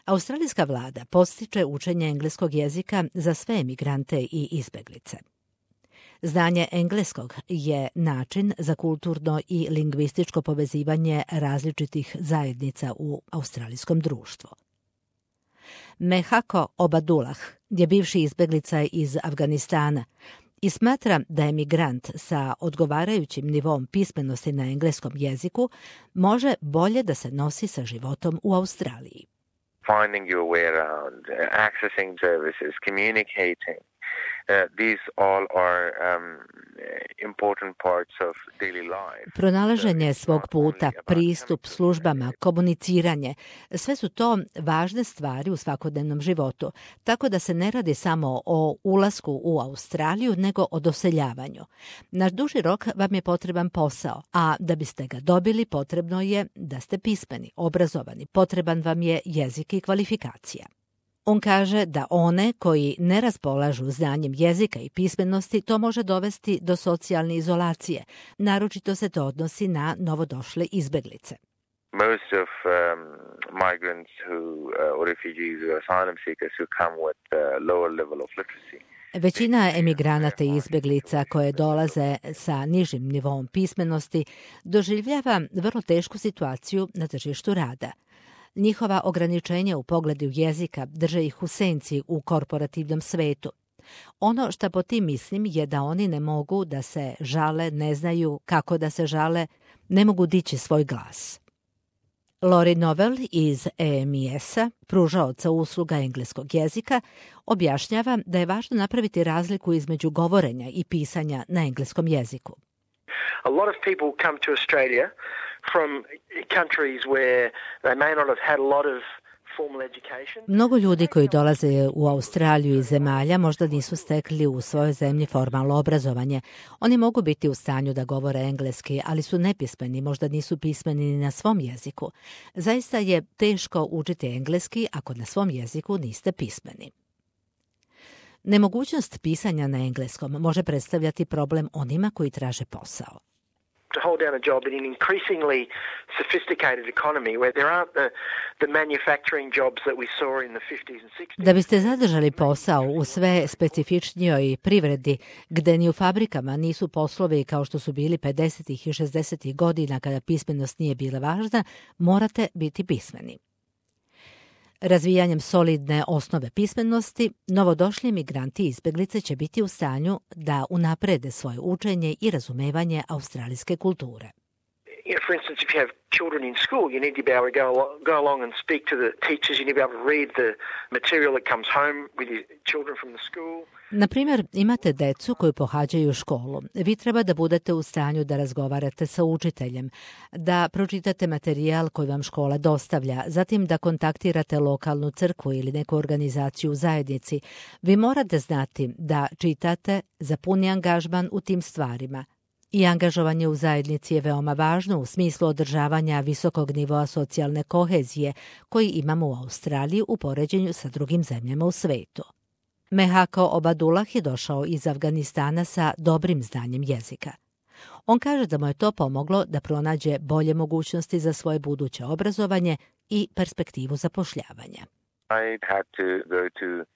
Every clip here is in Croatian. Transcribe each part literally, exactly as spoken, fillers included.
Australijska vlada podstiče učenje engleskog jezika za sve emigrante i izbeglice. Znanje engleskog je način za kulturno i lingvističko povezivanje različitih zajednica u australijskom društvu. Mehako Obadullah je bivši izbeglica iz Afganistana i smatra da emigrant sa odgovarajućim nivom pismenosti na engleskom jeziku može bolje da se nosi sa životom u Australiji. Finding your way around, accessing services, communicating. Uh, these all are um, important parts of daily life. Pronalaženje svog puta, pristup službama, komuniciranje, sve su to važne stvari u svakodnevnom životu, tako da se ne radi samo o ulasku u Australiju, nego o doseljavanju. Na duži rok vam je potreban posao, a da biste ga dobili potrebno je da ste pismeni, obrazovani, potreban vam je jezik i kvalifikacija. On kaže da one koji ne raspolažu znanjem jezika i pismenosti to može dovesti do socijalne izolacije. Naročito se to odnosi na novodošle izbeglice. Most of um, migrants who, uh, or refugees or asylum seekers who come with a lower level of literacy. Većina emigranata i izbeglica koje dolaze sa nižim nivom pismenosti doživljava vrlo tešku situaciju na tržištu rada. Njihova ograničenja u pogledu jezika drže ih u senci u korporativnom svetu. Ono što po tim mislim je da oni ne mogu da se žale, ne znaju kako da se žale, ne mogu dići svoj glas. Lori Novel iz E M I S-a, pružaoca usluga engleskog jezika, objašnjava da je važno napraviti razliku između govorenja i pisanja na engleskom jeziku. A lot of people come to Australia from countries where they may not have had a lot of formal education. Mnogo ljudi koji dolaze u Australiju iz zemalja možda nisu stekli u svojoj zemlji formalno obrazovanje. Oni mogu biti u stanju da govore engleski, ali su nepismeni, možda nisu pismeni ni na svom jeziku. Zaista je teško učiti engleski ako na svom jeziku niste pismeni. Nemogućnost pisanja na engleskom može predstavljati problem onima koji traže posao. To hold down a job in an increasingly sophisticated economy where there aren't the, the manufacturing jobs that we saw in the fifties and sixties. Da biste zadržali posao u sve specifičnijoj privredi, gde ni u fabrikama nisu poslovi kao što su bili pedesetih i šezdesetih godina kada pismenost nije bila važna, morate biti pismeni. Razvijanjem solidne osnove pismenosti, novodošli migranti i izbeglice će biti u stanju da unaprede svoje učenje i razumevanje australijske kulture. You know, for instance, if you have children in school, you need to be able to go, go along and speak to the teachers. You need to be able to read the material that comes home with your children from the school. Na primjer, imate decu koju pohađaju školu. Vi treba da budete u stanju da razgovarate sa učiteljem, da pročitate materijal koji vam škola dostavlja, zatim da kontaktirate lokalnu crkvu ili neku organizaciju u zajednici. Vi morate znati da čitate za puni angažman u tim stvarima. I angažovanje u zajednici je veoma važno u smislu održavanja visokog nivoa socijalne kohezije koji imamo u Australiji u poređenju sa drugim zemljama u svetu. Mehako Obadullah je došao iz Afganistana sa dobrim znanjem jezika. On kaže da mu je to pomoglo da pronađe bolje mogućnosti za svoje buduće obrazovanje i perspektivu zapošljavanja. I had to go to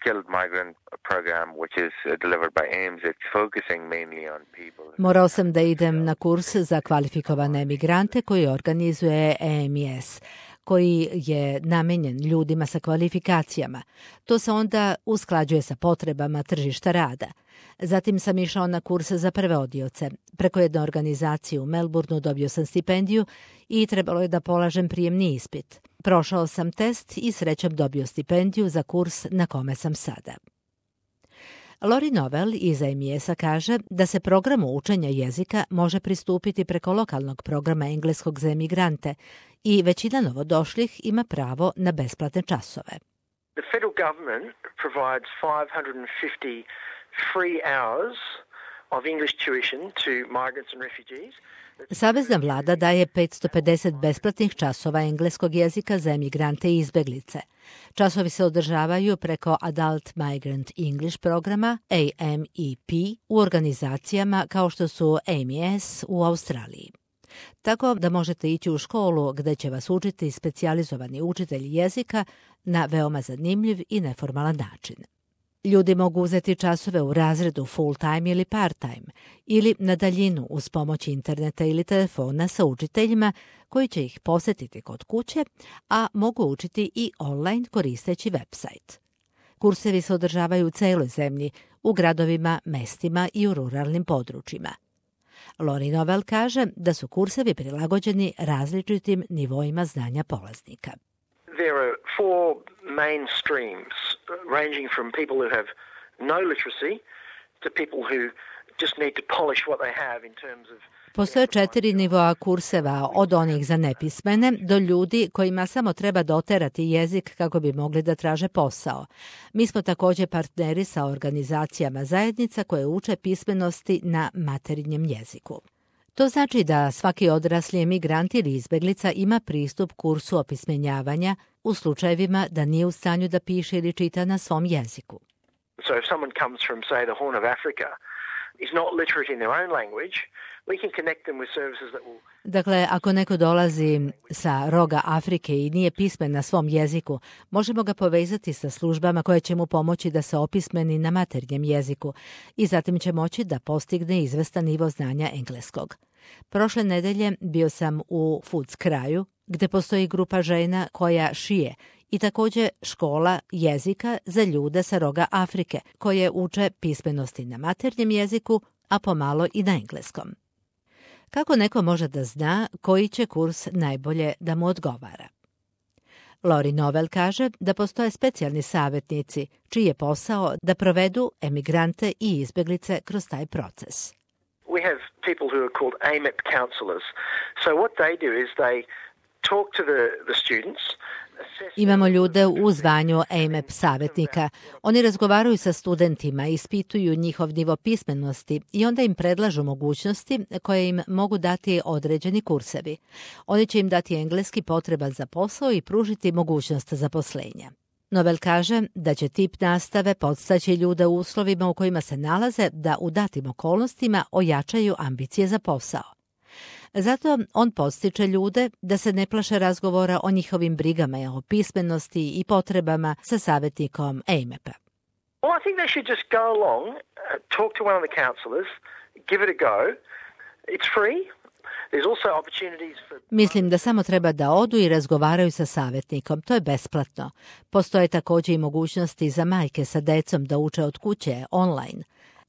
skilled migrant program which is delivered by A I M S. It's focusing mainly on people. Morao sam da idem na kurs za kvalifikovane emigrante koji organizuje E M I S, koji je namenjen ljudima sa kvalifikacijama. To se onda usklađuje sa potrebama tržišta rada. Zatim sam išao na kurs za prevodioce. Preko jedne organizacije u Melbourneu dobio sam stipendiju i trebalo je da polažem prijemni ispit. Prošao sam test i srećom dobio stipendiju za kurs na kome sam sada. Lori Novel iz E M I S-a kaže da se programu učenja jezika može pristupiti preko lokalnog programa engleskog za emigrante i većina novodošlih ima pravo na besplatne časove. The federal government provides five hundred fifty free hours of English tuition to migrants and refugees. Savezna vlada daje petsto pedeset besplatnih časova engleskog jezika za emigrante i izbeglice. Časovi se održavaju preko Adult Migrant English programa A M E P u organizacijama kao što su A M I S u Australiji. tako da možete ići u školu gde će vas učiti specijalizovani učitelj jezika na veoma zanimljiv i neformalan način. Ljudi mogu uzeti časove u razredu full-time ili part-time ili na daljinu uz pomoć interneta ili telefona sa učiteljima koji će ih posjetiti kod kuće, a mogu učiti i online koristeći website. Kursevi se održavaju u celoj zemlji, u gradovima, mestima i u ruralnim područjima. Lori Novell kaže da su kursevi prilagođeni različitim nivoima znanja polaznika. There are four main streams, ranging from people who have no literacy to people who just need to polish what they have in terms of... Postoje četiri nivoa kurseva, od onih za nepismene do ljudi kojima samo treba doterati jezik kako bi mogli da traže posao. Mi smo također partneri sa organizacijama zajednica koje uče pismenosti na materinjem jeziku. To znači da svaki odrasli emigrant ili izbeglica ima pristup kursu opismenjavanja u slučajevima da nije u stanju da piše ili čita na svom jeziku. So if someone comes from, say, the Horn of Africa, is not literate in their own language, we can connect them with services that will... Dakle, ako neko dolazi sa roga Afrike i nije pismen na svom jeziku, možemo ga povezati sa službama koje će mu pomoći da se opismeni na maternjem jeziku i zatim će moći da postigne izvestan nivo znanja engleskog. Prošle nedelje bio sam u Footscraju, gde postoji grupa žena koja šije i također škola jezika za ljude sa roga Afrike, koje uče pismenosti na maternjem jeziku, a pomalo i na engleskom. Kako neko može da zna koji će kurs najbolje da mu odgovara? Lori Novell kaže da postoje specijalni savjetnici, čiji je posao da provedu emigrante i izbeglice kroz taj proces. We have people who are called A M E P counselors. So what they do is they talk to the, the students. Imamo ljude u zvanju A M E P savjetnika. Oni razgovaraju sa studentima, ispituju njihov nivo pismenosti i onda im predlažu mogućnosti koje im mogu dati određeni kursevi. Oni će im dati engleski potreban za posao i pružiti mogućnost zaposlenja. Novell kaže da će tip nastave podstaći ljude u uslovima u kojima se nalaze da u datim okolnostima ojačaju ambicije za posao. Zato on podstiče ljude da se ne plaše razgovora o njihovim brigama, o pismenosti i potrebama sa savjetnikom A M E P-a. Well, I think they should just go along, talk to one of the counsellors, give it a go. It's free. Mislim da samo treba da odu i razgovaraju sa savjetnikom. To je besplatno. Postoje također i mogućnosti za majke sa decom da uče od kuće, online.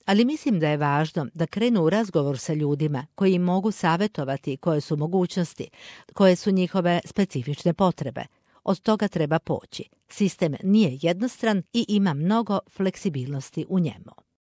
Ali mislim da je važno da krenu u razgovor sa ljudima koji im mogu savjetovati koje su mogućnosti, koje su njihove specifične potrebe. Od toga treba poći. Sistem nije jednostran i ima mnogo fleksibilnosti u njemu.